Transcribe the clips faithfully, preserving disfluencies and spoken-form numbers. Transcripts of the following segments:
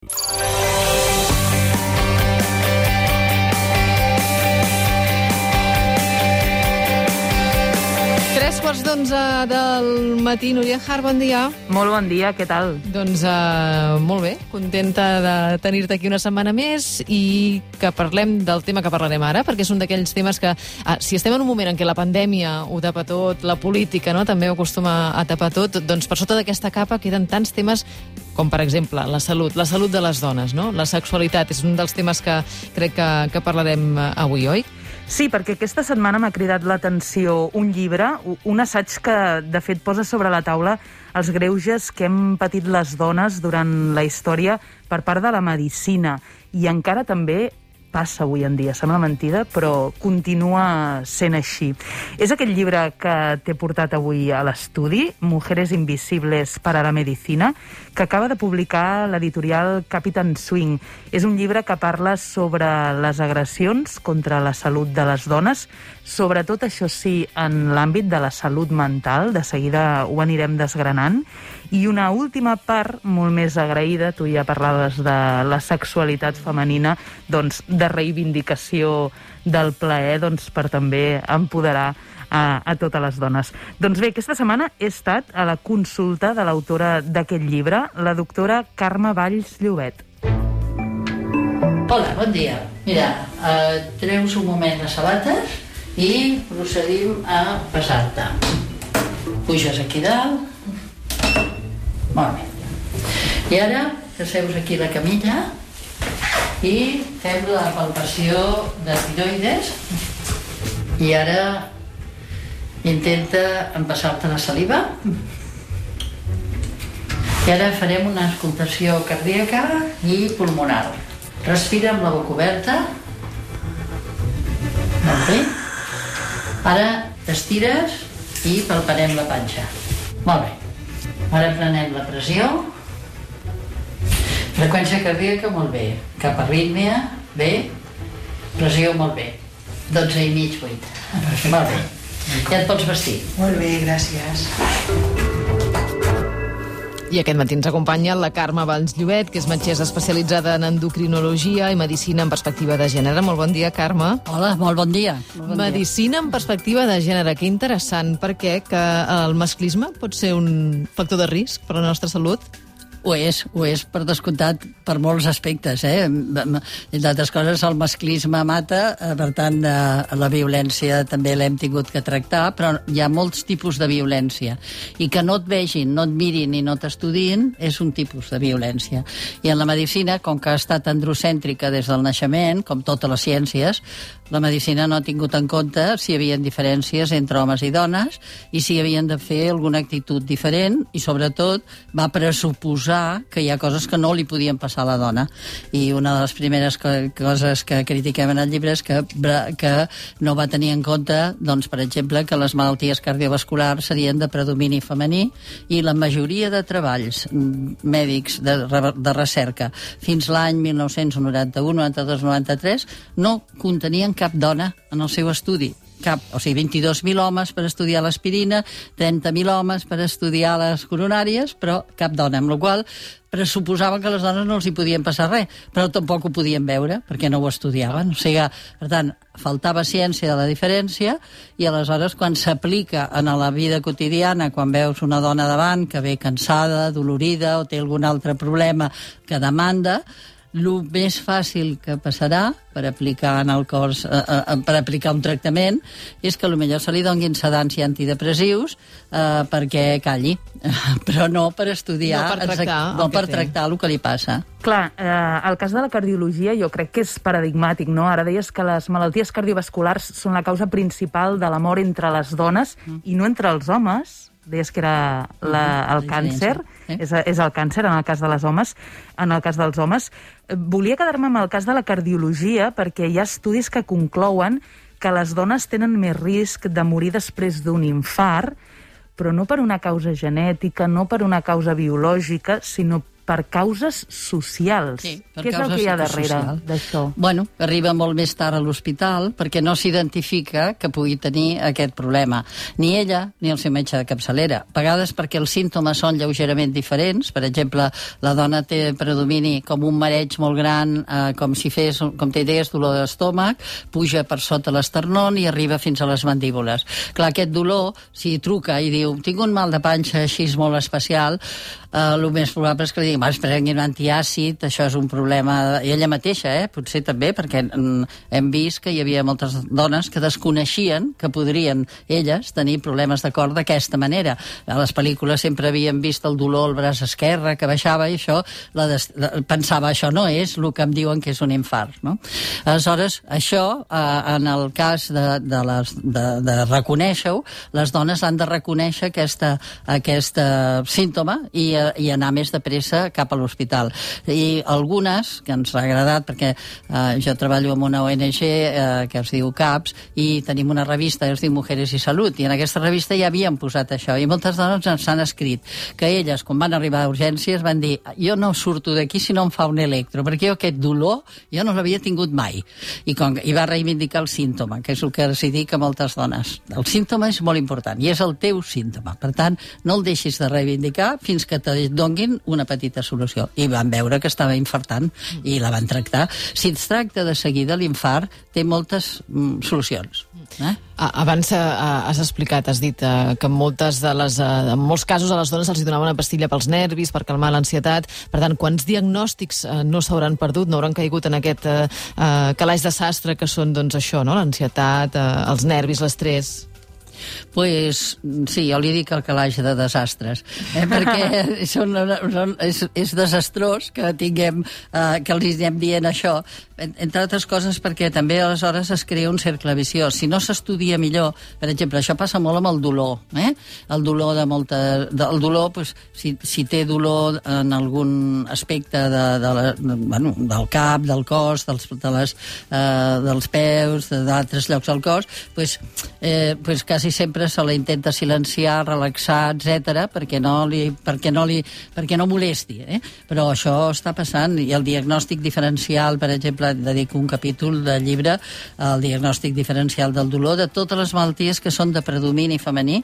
Tres quarts d'onze del matí. Núria Har, bon dia. Molt bon dia, què tal? Doncs uh, molt bé, contenta de tenir-te aquí una setmana més i que parlem del tema que parlarem ara, perquè és un d'aquells temes que, uh, si estem en un moment en què la pandèmia ho tapa tot, la política, no?, també ho acostuma a tapar tot, doncs per sota d'aquesta capa queden tants temes com, per exemple, la salut, la salut de les dones, no? La sexualitat és un dels temes que crec que, que parlarem avui, oi? Sí, perquè aquesta setmana m'ha cridat l'atenció un llibre, un assaig que, de fet, posa sobre la taula els greuges que hem patit les dones durant la història per part de la medicina. I encara també passa avui en dia, sembla mentida, però continua sent així. És aquest llibre que t'he portat avui a l'estudi, Mujeres invisibles para la medicina, que acaba de publicar l'editorial Captain Swing. És un llibre que parla sobre les agressions contra la salut de les dones, sobretot, això sí, en l'àmbit de la salut mental, de seguida ho anirem desgranant, i una última part, molt més agraïda, tu ja parlaves de la sexualitat femenina, doncs de reivindicació del plaer, doncs per també empoderar a, a totes les dones. Doncs bé, aquesta setmana he estat a la consulta de l'autora d'aquest llibre, la doctora Carme Valls Llobet. Hola, bon dia. Mira, eh, treus un moment les sabates i procedim a passar-te. Puges aquí dalt. Molt bé. I ara asseus aquí la camilla i fem la palpació de tiroides. I ara intenta empassar-te la saliva. I ara farem una auscultació cardíaca i pulmonar. Respira amb la boca oberta. Molt bé. Ara t'estires i palparem la panxa. Molt bé. Ara prenem la pressió. Freqüència cardíaca, molt bé. Cap arrítmia, bé. Pressió, molt bé. dotze i mig, vuit. Molt bé. Ja et pots vestir. Molt bé, gràcies. I aquest matí ens acompanya la Carme Valls Llobet, que és metgessa especialitzada en endocrinologia i medicina en perspectiva de gènere. Molt bon dia, Carme. Hola, molt bon dia. Molt bon medicina dia. En perspectiva de gènere, que interessant. Per què? Que el masclisme pot ser un factor de risc per a la nostra salut? Ho és, ho és per descomptat per molts aspectes, eh? Entre altres coses, el masclisme mata, per tant, la violència també l'hem tingut que tractar, però hi ha molts tipus de violència. I que no et vegin, no et mirin i no t'estudin és un tipus de violència. I en la medicina, com que ha estat androcèntrica des del naixement, com totes les ciències, la medicina no ha tingut en compte si hi havia diferències entre homes i dones i si havien de fer alguna actitud diferent i, sobretot, va pressuposar que hi ha coses que no li podien passar a la dona. I una de les primeres co coses que critiquem en el llibre és que, que no va tenir en compte, doncs, per exemple, que les malalties cardiovasculars serien de predomini femení i la majoria de treballs mèdics de, de recerca fins l'any mil nou-cents noranta-u, noranta-dos, noranta-tres no contenien cap dona en el seu estudi. Cap, o sigui, vint-i-dos mil homes per estudiar l'aspirina, trenta mil homes per estudiar les coronàries, però cap dona, amb la qual pressuposaven que a les dones no els hi podien passar res, però tampoc ho podien veure, perquè no ho estudiaven. O sigui, per tant, faltava ciència de la diferència i aleshores quan s'aplica en la vida quotidiana, quan veus una dona davant que ve cansada, dolorida o té algun altre problema que demanda, el més fàcil que passarà per aplicar en el cos, eh, eh, per aplicar un tractament és que potser se li donin sedants i antidepressius eh, perquè calli, però no per estudiar, no per tractar, no per tractar el que li passa. Clar, eh, el cas de la cardiologia jo crec que és paradigmàtic, no? Ara deies que les malalties cardiovasculars són la causa principal de la mort entre les dones mm. i no entre els homes. Deies que era la, el càncer, eh? és, és el càncer en el cas de les homes, en el cas dels homes. Volia quedar-me amb el cas de la cardiologia perquè hi ha estudis que conclouen que les dones tenen més risc de morir després d'un infart, però no per una causa genètica, no per una causa biològica, sinó per causes socials. Sí, per Què és el que hi ha darrere d'això? Bueno, arriba molt més tard a l'hospital perquè no s'identifica que pugui tenir aquest problema. Ni ella ni el seu metge de capçalera. A vegades perquè els símptomes són lleugerament diferents. Per exemple, la dona té predomini com un mareig molt gran, eh, com si fes, com té idees, dolor d'estómac, puja per sota l'esternón i arriba fins a les mandíbules. Clar, aquest dolor, si truca i diu tinc un mal de panxa així molt especial, eh, el més probable és que li diguin es prengui un antiàcid, això és un problema... I ella mateixa, eh, potser també, perquè mm, hem vist que hi havia moltes dones que desconeixien que podrien elles tenir problemes de cor d'aquesta manera. A les pel·lícules sempre havíem vist el dolor al braç esquerre que baixava i això la des... la... pensava això no és el que em diuen que és un infart, no? Aleshores, això, eh, en el cas de, de, les, de, de reconèixer-ho, les dones han de reconèixer aquesta, aquest símptoma i, i anar més de pressa cap a l'hospital. I algunes, que ens ha agradat, perquè eh, jo treballo amb una O N G eh, que es diu CAPS i tenim una revista que es diu Mujeres i Salut, i en aquesta revista ja havien posat això, i moltes dones ens han escrit que elles, quan van arribar a urgències, van dir jo no surto d'aquí si no em fa un electro, perquè jo aquest dolor jo no l'havia tingut mai. I, com, i va reivindicar el símptoma, que és el que els dic a moltes dones. El símptoma és molt important, i és el teu símptoma. Per tant, no el deixis de reivindicar fins que te donguin una petita solució. I van veure que estava infartant i la van tractar. Si es tracta de seguida, l'infart té moltes mm, solucions. Eh? Abans uh, has explicat, has dit uh, que en, moltes de les, uh, en molts casos a les dones se'ls donava una pastilla pels nervis, per calmar l'ansietat. Per tant, quants diagnòstics uh, no s'hauran perdut, no hauran caigut en aquest uh, uh, calaix de sastre que són doncs, això, no? L'ansietat, uh, els nervis, l'estrès? Pues, sí, jo li dic el calaix de desastres, eh? perquè són, són, és, és desastrós que tinguem, eh, que els anem dient això, entre altres coses perquè també aleshores es crea un cercle viciós. Si no s'estudia millor, per exemple, això passa molt amb el dolor, eh? el dolor de molta... De, el dolor, pues, si, si té dolor en algun aspecte de, de la, de, bueno, del cap, del cos, dels, de les, eh, dels peus, d'altres llocs del cos, pues, eh, pues quasi sempre se la intenta silenciar, relaxar, etcètera, perquè no li, perquè no li, perquè no molesti, eh? Però això està passant, i el diagnòstic diferencial, per exemple, dedico un capítol del llibre al diagnòstic diferencial del dolor de totes les malalties que són de predomini femení.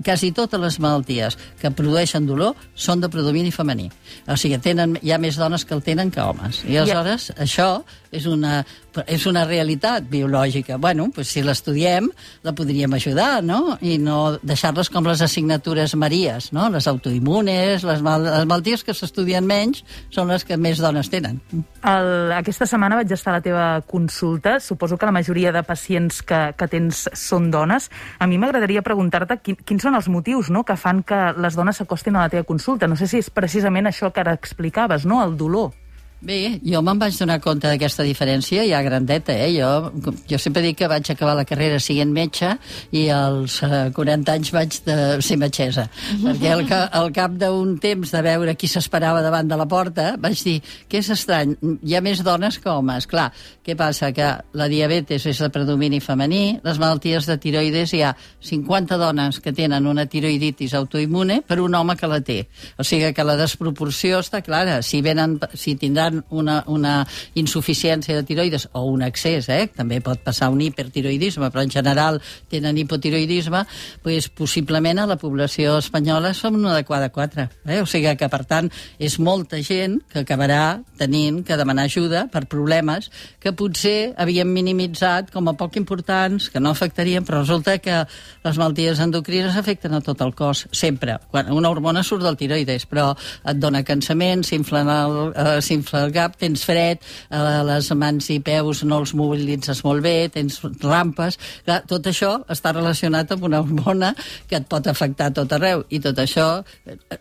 Quasi totes les malalties que produeixen dolor són de predomini femení. O sigui, tenen, hi ha més dones que el tenen que homes. I aleshores, yeah. això és una, és una realitat biològica. Bueno, pues si l'estudiem, la podríem ajudar, no? I no deixar-les com les assignatures maries, no? Les autoimmunes, les, mal les malalties que s'estudien menys són les que més dones tenen. El, aquesta setmana vaig estar a la teva consulta. Suposo que la majoria de pacients que, que tens són dones. A mi m'agradaria preguntar-te quin, quins són els motius, no?, que fan que les dones s'acostin a la teva consulta. No sé si és precisament això que ara explicaves, no?, el dolor. Bé, jo me'n vaig donar compte d'aquesta diferència ja grandeta, eh? Jo, jo sempre dic que vaig acabar la carrera siguent metge i als uh, quaranta anys vaig de ser metgessa. Perquè al, ca al cap d'un temps de veure qui s'esperava davant de la porta, vaig dir que és estrany, hi ha més dones que homes. Clar, què passa? Que la diabetes és de predomini femení, les malalties de tiroides hi ha cinquanta dones que tenen una tiroiditis autoimmune per un home que la té. O sigui que la desproporció està clara. Si venen, si tindran Una, una insuficiència de tiroides o un excés, eh? També pot passar un hipertiroidisme, però en general tenen hipotiroidisme, pues, possiblement a la població espanyola som una de cada quatre. Eh? O sigui que, per tant, és molta gent que acabarà tenint que demanar ajuda per problemes que potser havíem minimitzat com a poc importants, que no afectarien, però resulta que les malalties endocrines afecten a tot el cos, sempre. Quan una hormona surt del tiroides, però et dona cansament, s'infla el, eh, s'infla el cap, tens fred, eh, les mans i peus no els mobilitzes molt bé, tens rampes. Clar, tot això està relacionat amb una hormona que et pot afectar a tot arreu, i tot això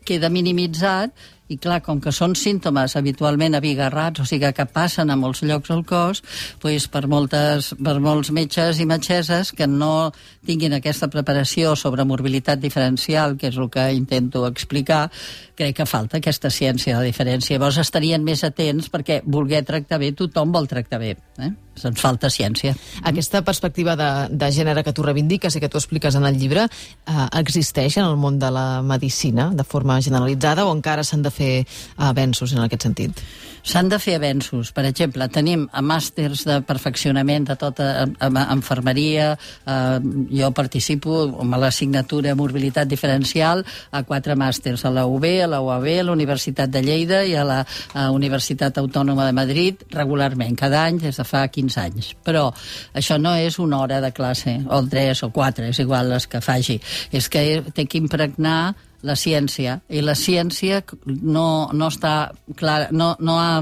queda minimitzat. I clar, com que són símptomes habitualment abigarrats, o sigui que passen a molts llocs al cos, doncs per, moltes, per molts metges i metgesses que no tinguin aquesta preparació sobre morbilitat diferencial, que és el que intento explicar, crec que falta aquesta ciència de la diferència. Llavors estarien més atents perquè voler tractar bé, tothom vol tractar bé, eh? ens falta ciència. Aquesta perspectiva de, de gènere que tu reivindiques i que tu expliques en el llibre eh, existeix en el món de la medicina de forma generalitzada o encara s'han de fer avenços en aquest sentit? S'han de fer avenços. Per exemple, tenim màsters de perfeccionament de tota infermeria. Eh, jo participo amb l'assignatura Mobilitat Diferencial a quatre màsters, a la U B, a la U A B, a la Universitat de Lleida i a la a Universitat Autònoma de Madrid regularment, cada any des de fa quinze anys. Però això no és una hora de classe, o tres o quatre, és igual les que faci. És que té que impregnar la ciència, i la ciència no, no està clara, no, no ha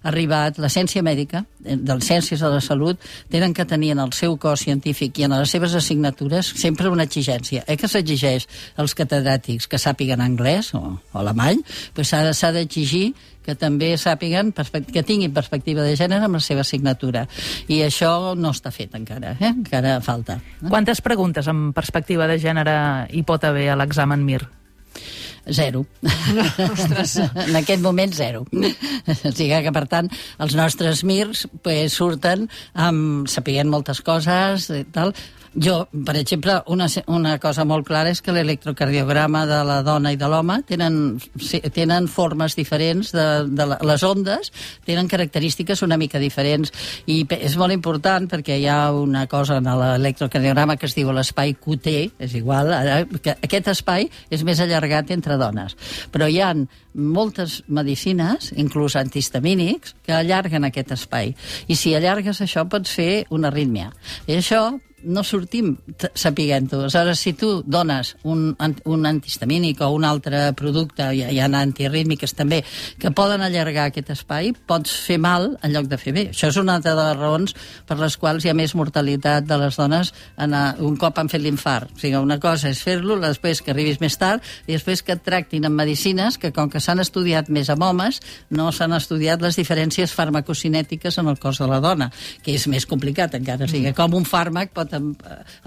arribat, la ciència mèdica, de les ciències de la salut, tenen que tenir en el seu cos científic i en les seves assignatures sempre una exigència. Eh que s'exigeix als catedràtics que sàpiguen anglès o, o alemany, doncs s'ha d'exigir que també sàpiguen, que tinguin perspectiva de gènere amb la seva assignatura. I això no està fet encara, eh? Encara falta. Eh? Quantes preguntes amb perspectiva de gènere hi pot haver a l'examen M I R? Zero. Ostres. En aquest moment, zero. O sigui que, per tant, els nostres M I Rs pues, surten amb, sapiguent moltes coses i tal. Jo, per exemple, una, una cosa molt clara és que l'electrocardiograma de la dona i de l'home tenen, tenen formes diferents, de, de les ondes tenen característiques una mica diferents, i és molt important perquè hi ha una cosa en l'electrocardiograma que es diu l'espai Q T, és igual, que aquest espai és més allargat entre dones, però hi ha moltes medicines, inclús antihistamínics, que allarguen aquest espai, i si allargues això pots fer una arrítmia, i això no sortim sapiguent-ho. Aleshores, si tu dones un, un antihistamínic o un altre producte, hi, hi ha antiarrítmiques també, que poden allargar aquest espai, pots fer mal en lloc de fer bé. Això és una de les raons per les quals hi ha més mortalitat de les dones en a, un cop han fet l'infart. O sigui, una cosa és fer-lo, després que arribis més tard, i després que et tractin amb medicines que, com que s'han estudiat més amb homes, no s'han estudiat les diferències farmacocinètiques en el cos de la dona, que és més complicat encara. O sigui, com un fàrmac pot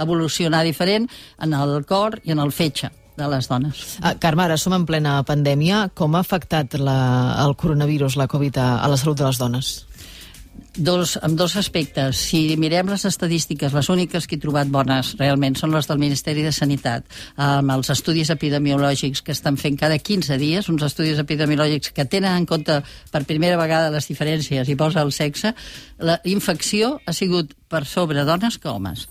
evolucionar diferent en el cor i en el fetge de les dones. Uh, Carme, ara som en plena pandèmia. Com ha afectat la, el coronavirus, la Covid, a, a la salut de les dones? Dos, amb dos aspectes. Si mirem les estadístiques, les úniques que he trobat bones realment són les del Ministeri de Sanitat, amb els estudis epidemiològics que estan fent cada quinze dies, uns estudis epidemiològics que tenen en compte per primera vegada les diferències i posa el sexe. La infecció ha sigut per sobre dones que homes.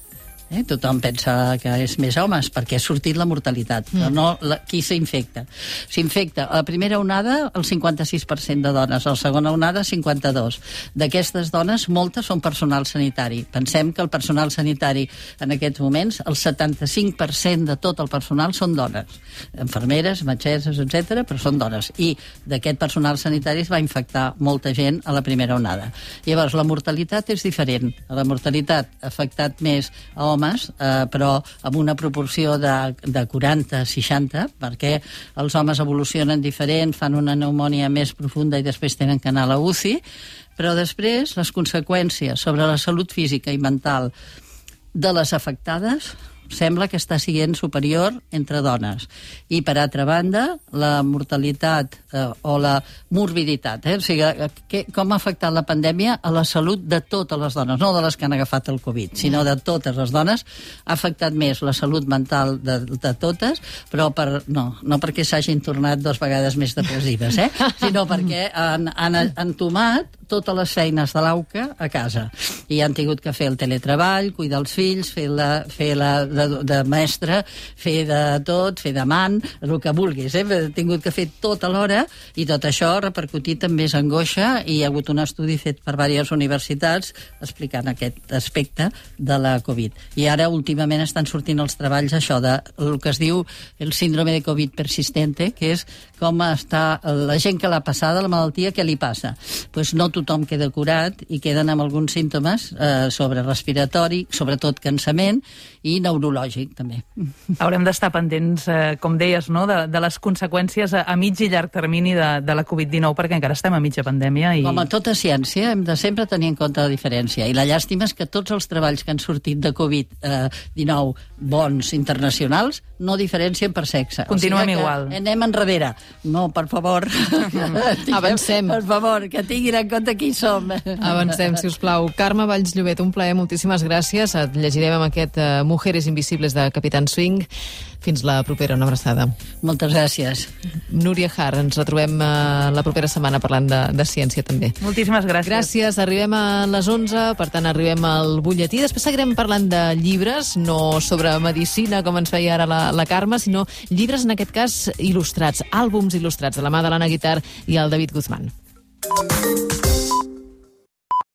Eh? Tothom pensa que és més homes perquè ha sortit la mortalitat, però no la, qui s'infecta. S'infecta a la primera onada el cinquanta-sis per cent de dones, a la segona onada cinquanta-dos. D'aquestes dones, moltes són personal sanitari. Pensem que el personal sanitari en aquests moments, el setanta-cinc per cent de tot el personal són dones. Infermeres, metgesses, etcètera, però són dones. I d'aquest personal sanitari es va infectar molta gent a la primera onada. Llavors, la mortalitat és diferent. La mortalitat ha afectat més a homes, homes, eh, però amb una proporció de, de quaranta a seixanta, perquè els homes evolucionen diferent, fan una pneumònia més profunda i després tenen que anar a la U C I, però després les conseqüències sobre la salut física i mental de les afectades sembla que està sent superior entre dones. I, per altra banda, la mortalitat eh, o la morbiditat. Eh? O sigui, que, com ha afectat la pandèmia a la salut de totes les dones, no de les que han agafat el Covid, sinó de totes les dones. Ha afectat més la salut mental de, de totes, però per, no, no perquè s'hagin tornat dues vegades més depressives, eh? sinó perquè han, han entomat totes les feines de l'A U C A a casa. I han tingut que fer el teletreball, cuidar els fills, fer la, fer la de, de mestre, fer de tot, fer d'amant, el que vulguis. Eh? He tingut que fer tot alhora i tot això ha repercutit en més angoixa i hi ha hagut un estudi fet per diverses universitats explicant aquest aspecte de la Covid. I ara últimament estan sortint els treballs això de el que es diu el síndrome de Covid persistente, que és com està la gent que l'ha passada, la malaltia, què li passa? Pues no tothom queda curat i queden amb alguns símptomes eh, sobre respiratori, sobretot cansament i neurològic també. Haurem d'estar pendents, eh, com deies, no? de, de les conseqüències a, a mig i llarg termini de, de la Covid dinou, perquè encara estem a mitja pandèmia. I... Com a tota ciència hem de sempre tenir en compte la diferència, i la llàstima és que tots els treballs que han sortit de Covid dinou bons internacionals no diferencien per sexe. Continuem o sigui igual. Anem enrere. No, per favor. Avancem. Per favor, que tinguin en compte de qui som. Avancem, si us plau. Carme Valls Llobet, un plaer, moltíssimes gràcies. Et llegirem amb aquest uh, Mujeres Invisibles de Capitán Swing. Fins la propera, una abraçada. Moltes gràcies. Núria Har, ens retrobem uh, la propera setmana parlant de, de ciència també. Moltíssimes gràcies. Gràcies, arribem a les onze, per tant arribem al butlletí. Després seguirem parlant de llibres, no sobre medicina, com ens feia ara la, la Carme, sinó llibres, en aquest cas, il·lustrats, àlbums il·lustrats, de la mà de l'Anna Guitart i el David Guzmán.